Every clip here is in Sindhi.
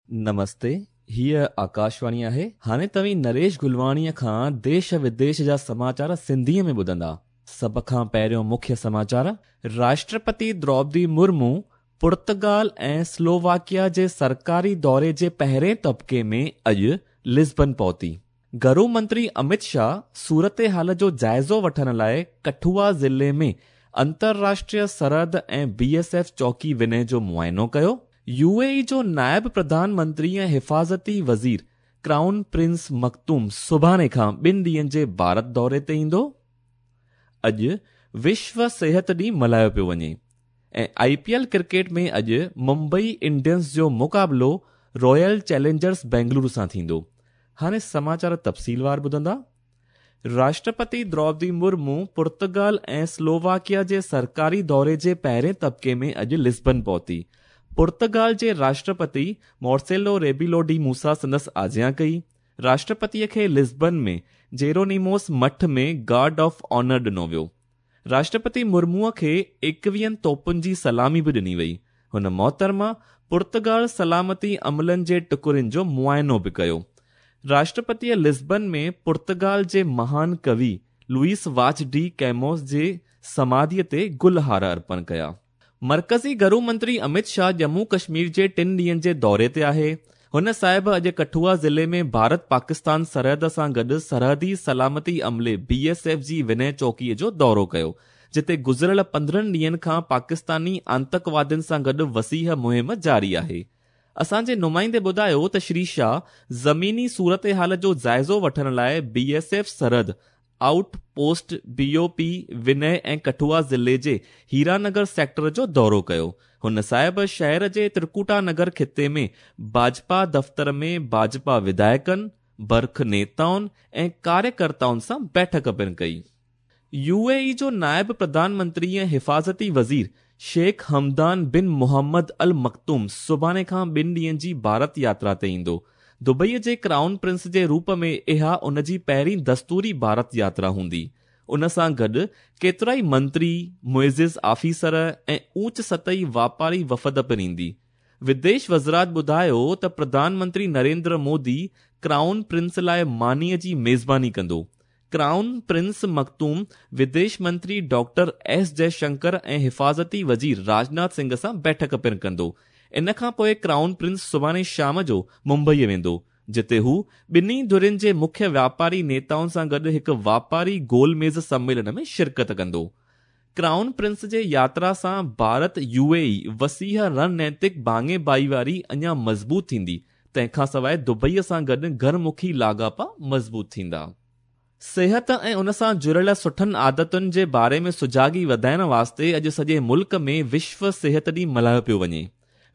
نمستي، هيء آڪاشواڻي آهي. هاڻي توهين نريش گلواڻيء کان ديش وديش جا سماچار سنڌيء ۾ ٻڌندا. سڀ کان پهريون مکيه سماچار. راشٽرپتي دروپدي مرمو پرتگال ۽ سلوواڪيا جي سرڪاري دوري جي پهرين طبقي ۾ اڄ لزبن پهتي. گهرو منتري امت شاهه صورتحال جو جائزو وٺڻ لاء ڪٺوا ضلعي ۾ انترراشٽريه سرحد ۽ بي ايس ايف چوڪي وني جو معائنو ڪيو. يو اي اي جو نائب پرڌان منتري ۽ حفاظتي وزير ڪرائون پرنس مڪتوم سڀاڻي کان ٻن ڏينهن جي ڀارت دوري تي ايندو. اڄ وشو صحت ڏينهن ملهايو پيو وڃي ۽ آء پي ايل ڪرڪيٽ ۾ اڄ ممبئي انڊينز جو مقابلو رائل چئلينجرز بينگلورو سان ٿيندو. هاڻي سماچار تفصيلوار ٻڌندا. راشٽرپتي دروپدي مرمو پرتگال ۽ سلوواڪيا جي سرڪاري دوري جي پهرين طبقي ۾ اڄ لزبن پهتي. پرتگال جي راشٽرپتي مارسيلو ريبيلو ڊي موسا سندس آجيان ڪئي. راشٽرپتيء کي لزبن ۾ جيرونيموس مٺ ۾ گارڊ آف آنر ڏنو ويو. راشٽرپتي مرموء کي ايڪويهن توپن جي سلامي به ڏني وئي. هن محترمه پرتگال سلامتي عملن جي ٽڪرين جو معائنو به ڪيو. راشٽرپتيء لزبن ۾ پرتگال جي مهان ڪوي لوئيس واچ ڊي ڪيموس جي سماڌيء تي گل هار ارپڻ ڪيا. مرڪزي گهرو منتري امت شاهه ڄمون ڪشمير جي ٽن ڏينهن جي دوري تي آهي. هن صاحب اڄ ڪٺوا ضلعي ۾ ڀارت پاڪستان سرحد سان گڏ سرحدي سلامتي عملي بي ايس ايف جي وني چوڪي جو دورو ڪيو، جتي گذريل 15 ڏينهن کان پاڪستاني آتنڪوادين سان گڏ وسيع مهم جاري آهي. اسان جي نمائندي ٻڌايو ته شري شاهه زميني صورتحال جو جائزو وٺڻ لاء بي ايس ايف سرحد out post, B O P, وني ۽ ڪٺوا ضلعي جي هيرانگر سيڪٽر جو دورو ڪيو. هن صاحب شهر جي ترڪوٽا نگر خطي ۾ ڀاجپا دفتر ۾ ڀاجپا وڌايڪن، برک نيتائن ۽ ڪاريڪرتائن سان بيٺڪ پڻ ڪئي. يو اي اي جو نائب پرڌان منتري ۽ حفاظتي وزير شيخ حمدان بن محمد المڪتوم سڀاڻي کان ٻن ڏينهن جي ڀارت ياترا تي ايندو. دبئيء جي ڪرائون پرنس جي روپ ۾ اها ان جي پهرين دستوري ڀارت ياترا هوندي. ان سان گڏ ڪيترائي منتري، معزز آفيسر ۽ اوچ سطحي واپاري وفد پڻ ايندي. وديش وزارت ٻڌايو ته پرڌان منتري نريندر مودي ڪرائون پرنس لاء مانيء جي ميزباني ڪندو. ڪرائون پرنس مڪتوم وديش منتري ڊاڪٽر ايس جئه شنڪر ۽ حفاظتي وزير راجناٿ سنگهه سان بيٺڪ پڻ ڪندو. ان کان پوء ڪرائون پرنس سڀاڻي شام جو ممبئيء ويندو، جتي هو ٻنهي ڌرين جي مکيه واپاري نيتائن سان گڏ هڪ واپاري گول ميز سميلن ۾ شرڪت ڪندو. ڪرائون پرنس جي ياترا سان ڀارت يو اي اي وسيع رڻنيتڪ ڀاڱي ڀائيواري اڃا مضبوط ٿيندي، تنهن کان سواء دبئيء سان گڏ گهر مکي لاڳاپا مضبوط ٿيندا. صحت ۽ ان سان جڙيل سٺن عادتن جي باري ۾ سجاڳي وڌائڻ واسطي اڄ سڄي ملڪ ۾ وشو صحت ڏينهن ملهايو پيو وڃي.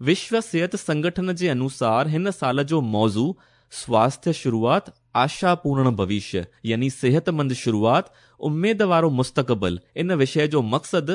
وشو صحت سنگٺن جي انوسار هن سال جو موضوع سواسٿيه شروعات، آشا پورڻ ڀوشيه يعني صحتمند شروعات، اميد وارو مستقبل ان وشيه جو مقصد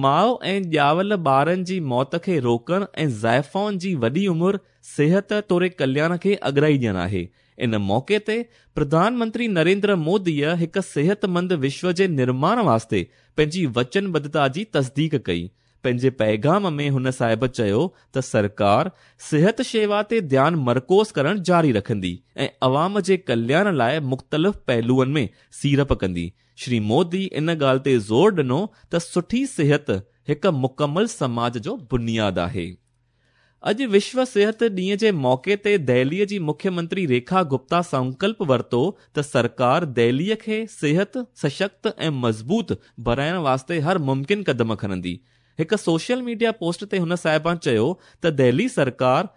ماء ۽ ڄاول ٻارن جي موت کي روڪڻ ۽ زائفائن جي وڏي عمر، صحت توڙي ڪلياڻ کي اڳرائي ڏيڻ آهي. ان موقعي تي پرڌان منتري نريندر موديء هڪ صحتمند وشو جي نرماڻ واسطي پنهنجي وچنبڌتا جي تصديق ڪئي. پنهنجي پيغام ۾ هن صاحب چيو ته سرڪار صحت شيوا تي ڌيان مرڪوز ڪرڻ جاري رکندي ۽ عوام جي ڪلياڻ لاء مختلف پهلوئن ۾ سيڙپ ڪندي. شري مودي ان ڳالهه تي زور ڏنو ته سٺي صحت هڪ مڪمل سماج جو بنياد آهي. اڄ وشو صحت ڏينهن جي موقعي تي دهليء جي مکيه منتري ريکا گپتا سنڪلپ ورتو ته سرڪار دهليء کي صحت، سشڪت ۽ مضبوط بڻائڻ واسطي هر ممڪن قدم کڻندي. هڪ سوشل ميڊيا پوسٽ تي هن صاحبان چيو ته دهلي سرڪار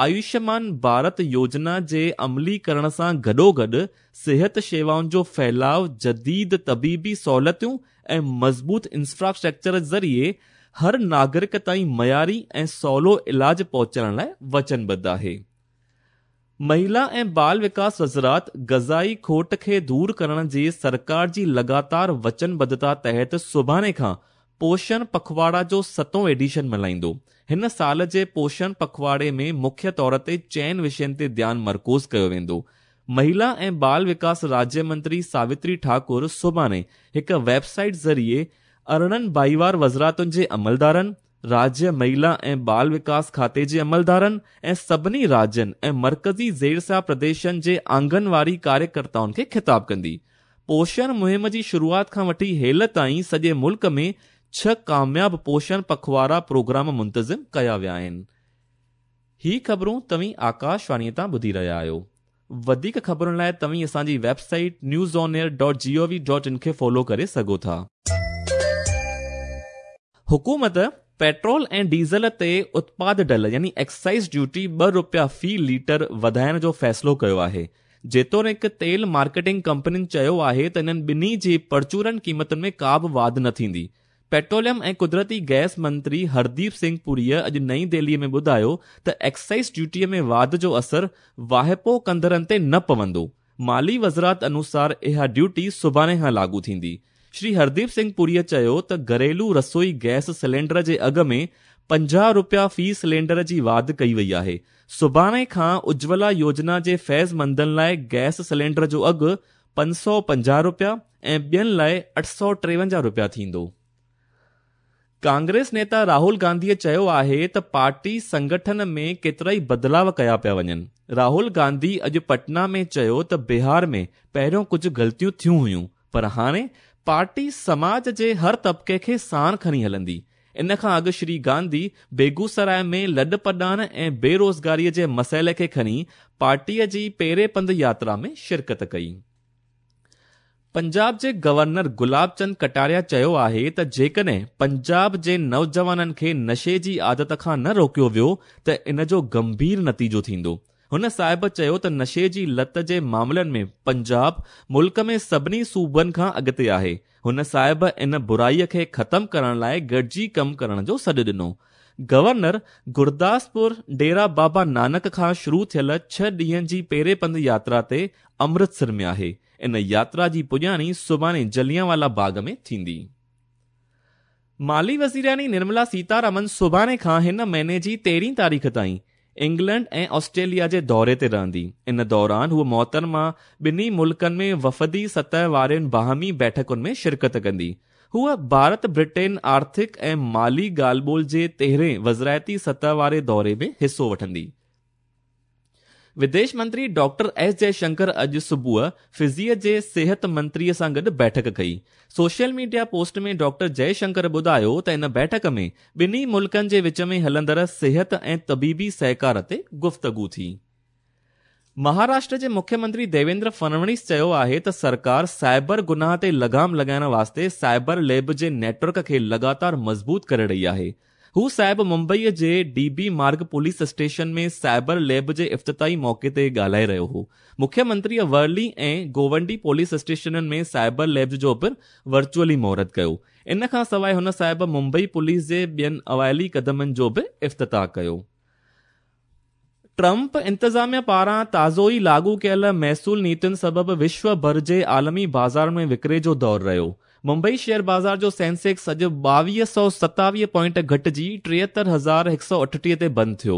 آيوشمان ڀارت يوجنا جي عملي ڪرڻ سان گڏوگڏ صحت شيوائن جو ڦهلاء، جديد طبيبي سهولتون ۽ مضبوط انفراسٽرڪچر ذريعي هر ناگرڪ تائين معياري ۽ سولو علاج پهچائڻ لاء وچنبڌ آهي. مهلا ۽ بال وڪاس وزارت غذائي کوٽ کي دور ڪرڻ جي سرڪار جي لڳاتار وچنبڌتا تحت سڀاڻي کان پوشڻ پکواڙا جو ستون ايڊيشن ملهائيندو. هن سال جي پوشڻ پکواڙي ۾ مکيه طور تي چئن وشين تي ڌيان مرڪوز ڪيو ويندو. مهلا ۽ بال وڪاس راجيه منتري ساوتري ٺاڪر سڀاڻي هڪ ويب سائيٽ ذريعي 18 ڀائيوار وزارتن جي عملدارن، راجيه مهلا ۽ بال وڪاس کاتي جي عملدارن ۽ سڀني راجين ۽ مرڪزي زيرسيا پرديشن جي آنگنواري ڪاريڪرتائن کي خطاب ڪندي. پوشڻ مهم جي شروعات کان وٺي هيل تائين سڄي ملڪ ۾ ڇهه ڪامياب پوشڻ پکواڙا پروگرام منتظم ڪيا ويا آهن. هي خبرون توهين آڪاشواڻيء تان ٻڌي رهيا آهيو. وڌيڪ خبرن لاء توهين اسان جي website news on air dot G O V dot in کي فالو ڪري سگهو ٿا. حڪومت پيٽرول ۽ ڊيزل تي اتپاد ڍل يعني ايڪسائيز ڊيوٽي ٻه رپيا في ليٽر وڌائڻ جو فيصلو ڪيو آهي. جيتوڻيڪ تيل مارڪيٽنگ ڪمپنين چيو آهي ته انهن ٻنهي جي پرچورن قيمتن ۾ ڪا به واڌ نه ٿيندي. پيٽروليم ۽ قدرتي گئس منتري هرديپ سنگهه پوريء اڄ نئين دهليء ۾ ٻڌايو ته ايڪسائيز ڊيوٽيء ۾ واڌ جو اثر واهپو ڪندڙن تي نه پوندو. مالي وزارت انوسار اها ڊيوٽي سڀاڻي کان لاڳو ٿيندي. شري هرديپ سنگهه پوريء چيو ته گهريلو رسوئي گئس سلينڊر جي اگهه ۾ 50 رپيا في سلينڊر جي واڌ ڪئي وئي آهي. سڀاڻي کان اجولا يوجنا جي فيض مندن لاء گئس سلينڊر جو اگهه 550 رپيا ۽ ٻين لاء 853 رپيا ٿيندو. ڪانگريس نيتا راهول گانڌيء چيو آهي ته پارٽي سنگٺن ۾ ڪيترائي بدلاء ڪيا پيا وڃن. راهول گانڌي اڄ پٽنا ۾ چيو ته بهار ۾ پهريون ڪجهه غلطيون ٿيون هيون پر هاڻي پارٽي سماج جي هر طبقي کي ساڻ کڻي هلندي. ان کان اڳ شري گانڌي بيگوسراء ۾ لڏپلاڻ ۽ بيروزگاري جي مسئلي کي کڻي پارٽيء جي پيري پنڌ ياترا ۾ شرڪت ڪئي. پنجاب جي گورنر گلاب چند ڪٽاريا چيو آهي ته جيڪڏهن پنجاب جي نوجوانن کي نشي جي عادت کان نه روڪيو ويو ته ان جو گنڀير نتيجو ٿيندو. هن صاحب چيو ته نشي جي لت جي معاملن ۾ پنجاب ملڪ ۾ سڀني صوبن کان اڳتي آهي. هن صاحب ان برائي کي ختم ڪرڻ لاء گڏجي ڪم ڪرڻ جو سڏ ڏنو. گورنر گرداسپور ڊيرا بابا نانڪ کان شروع ٿيل ڇهه ڏينهن جي پيري پنڌ ياترا تي امرتسر ۾ آهي. ان ياترا جي پڄاڻي سڀاڻي جليانوالا باغ ۾ ٿيندي. مالي وزيرياڻي نرملا سيتارامن سڀاڻي کان هن مهيني جي تيرهين تاريخ تائين انگلينڊ ۽ آسٽريليا جي دوري تي رهندي. ان دوران هوء محترمه ٻنهي ملڪن ۾ وفدي سطح وارين باهمي بيٺڪن ۾ شرڪت ڪندي. هوء ڀارت برٽين آرٿڪ ۽ مالي ڳالهه ٻولهه جي تيرهين وزارتي سطح واري دوري ۾ حصو وٺندي. وديش منتري ڊاڪٽر ايس جئه شنڪر اڄ صبح فجيء جي صحت منتري سان گڏ بيٺڪ ڪئي. Social media post ۾ doctor Jai Shankar ٻڌايو ته ان بيٺڪ ۾ ٻنهي ملڪن جي وچ ۾ هلندڙ صحت ۽ طبيبي سهڪار تي گفتگو ٿي. مهاراشٽر جي مکيه منتري ديويندر فڙنويس چيو آهي ته سرڪار سائبر گناهه تي لغام لڳائڻ واسطي سائبر ليب جي نيٽ ورڪ کي لڳاتار مضبوط ڪري رهي آهي. هو صاحب ممبئيء جي D B Marg police station ۾ cyber lab جي افتتاحي موقعي تي ڳالهائي رهيو هو. مکيه منتريء ورلي ۽ گوونڊي پوليس اسٽيشنن ۾ سائبر ليبز جو پڻ ورچوئلي مهورت ڪيو. ان کان سواء هن صاحب ممبئي پوليس جي ٻين اوائلي قدمن جو به افتتاح ڪيو. ٽرمپ انتظاميه پاران تازو ئي لاڳو ڪيل محصول نيتين سبب وشو ڀر جي عالمي بازارن ۾ وڪري جو دور رهيو. ممبئي شيئر بازار جو سينسيڪس اڄ 2227 پوائنٽ گهٽجي 73138 تي بند ٿيو.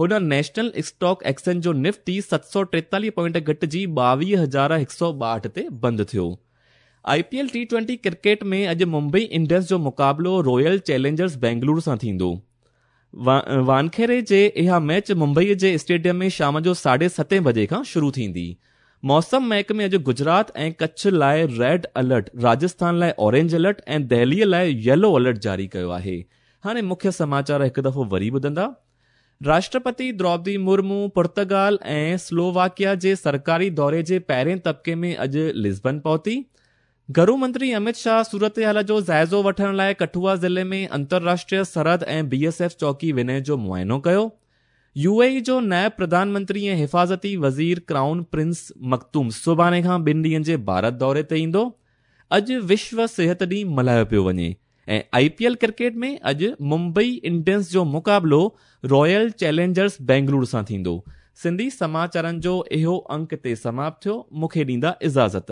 هن نيشنل اسٽاڪ ايڪسچينج جو نفٽي 743 پوائنٽ گهٽجي 22162 تي بند ٿيو. I P L T twenty cricket ۾ اڄ ممبئي انڊينز جو مقابلو رائل چئلينجرز بينگلور سان ٿيندو. وانکيڙي جي اها ميچ ممبئي جي اسٽيڊيم ۾ شام جو ساڍي ستين بجي کان شروع ٿيندي. موسم محڪمي اڄ گجرات ۽ ڪڇ لاء ريڊ الرٽ، راجسٿان لاء اورينج الرٽ ۽ دهلي لاء ييلو الرٽ جاري ڪيو آهي. هاڻي مکيه سماچار هڪ دفعو وري ٻڌندا. راشٽرپتي دروپدي مرمو پرتگال ۽ سلوواڪيا جي سرڪاري دوري جي پهرين طبقي ۾ اڄ لزبن پهتي. گهرو منتري امت شاهه صورتحال جو جائزو وٺڻ لاء ڪٺوئا ضلعي ۾ انترراشٽريه سرحد ۽ بي ايس ايف چوڪي ونهه جو معائنو ڪيو. يو اي اي جو نائب پرڌان منتري ۽ حفاظتي وزير ڪرائون پرنس مڪتوم سڀاڻي کان ٻن ڏينهن جي ڀارت دوري تي ايندو. اڄ وشو صحت ڏينهن ملهايو پيو وڃي ۽ آء پي ايل ڪرڪيٽ ۾ اڄ ممبئي انڊينز جو مقابلو رائل چئلينجرز بينگلور سان ٿيندو. سنڌي سماچارن جو اهو انڪ هتي سماپت ٿيو. مون کي ڏيندا اجازت.